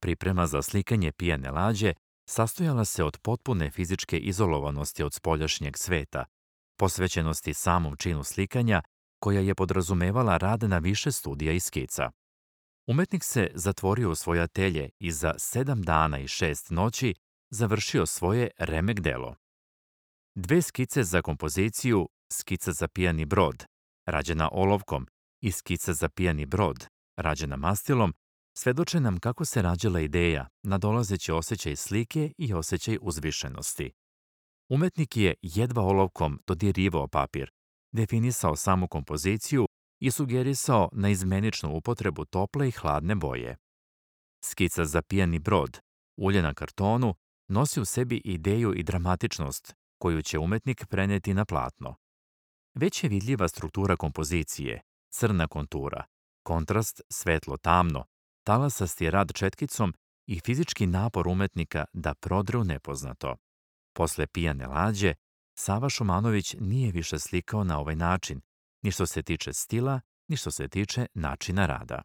Priprema za slikanje pijane lađe sastojala se od potpune fizičke izolovanosti od spoljašnjeg sveta, posvećenosti samom činu slikanja, koja je podrazumevala rad na više studija i skica. Umetnik se zatvorio u svoje atelje i za 7 dana i 6 noći završio svoje remek delo. Dve skice za kompoziciju, skica za pijani brod, rađena olovkom, i skica za pijani brod, rađena mastilom, svedoče nam kako se rađala ideja, nadolazeći osjećaj slike i osjećaj uzvišenosti. Umetnik je jedva olovkom dodirivao papir, definisao samu kompoziciju i sugerisao naizmeničnu upotrebu tople i hladne boje. Skica za pijani brod, ulje na kartonu, nosi u sebi ideju i dramatičnost koju će umetnik preneti na platno. Već je vidljiva struktura kompozicije, crna kontura, kontrast svetlo-tamno, talasasti rad četkicom i fizički napor umetnika da prodre u nepoznato. Posle pijane lađe, Sava Šumanović nije više slikao na ovaj način, ni što se tiče stila, ni što se tiče načina rada.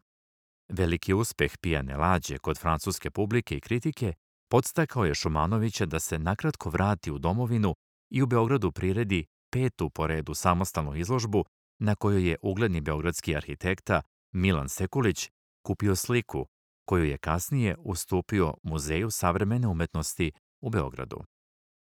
Veliki uspeh pijane lađe kod francuske publike i kritike podstakao je Šumanovića da se nakratko vrati u domovinu i u Beogradu priredi 5. po redu samostalnu izložbu na kojoj je ugledni beogradski arhitekta Milan Sekulić kupio sliku koju je kasnije ustupio Muzeju savremene umetnosti u Beogradu.